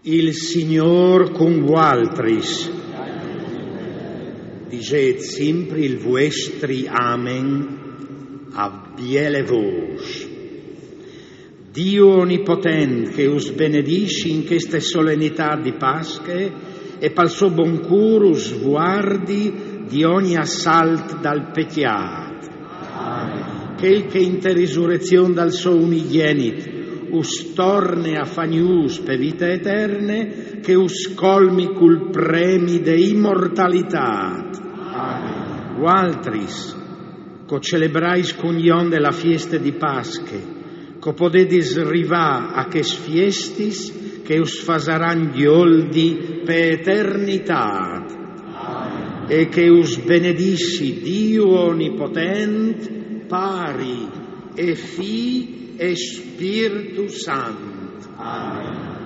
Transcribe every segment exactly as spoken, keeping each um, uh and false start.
Il Signôr cun vualtris. Disêt simpri il vuestri amen a biele vôs. Diu onipotent che us benedissi in cheste solenitât di Pasche e pal so bon cûr us vuardi di ogni assalt dal pecjât. Chel che inte risurrezion dal so unigjenit us torne a fâ gnûfs pe vite eterne, che us colmi cul premi de imortalitât. Vualtris, che o celebrais cun jonde la fieste di Pasche, che o podedis rivâ a chês fiestis che us fasaran gjoldi pe eternitât. E che us benedissi Diu onipotent, Pari e Fi e Spirtu Sant. Amen.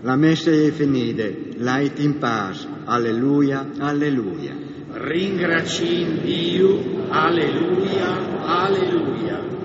La messe e je finide, lait in pâs. Aleluia, aleluia. Ringraciìn Diu, aleluia, aleluia.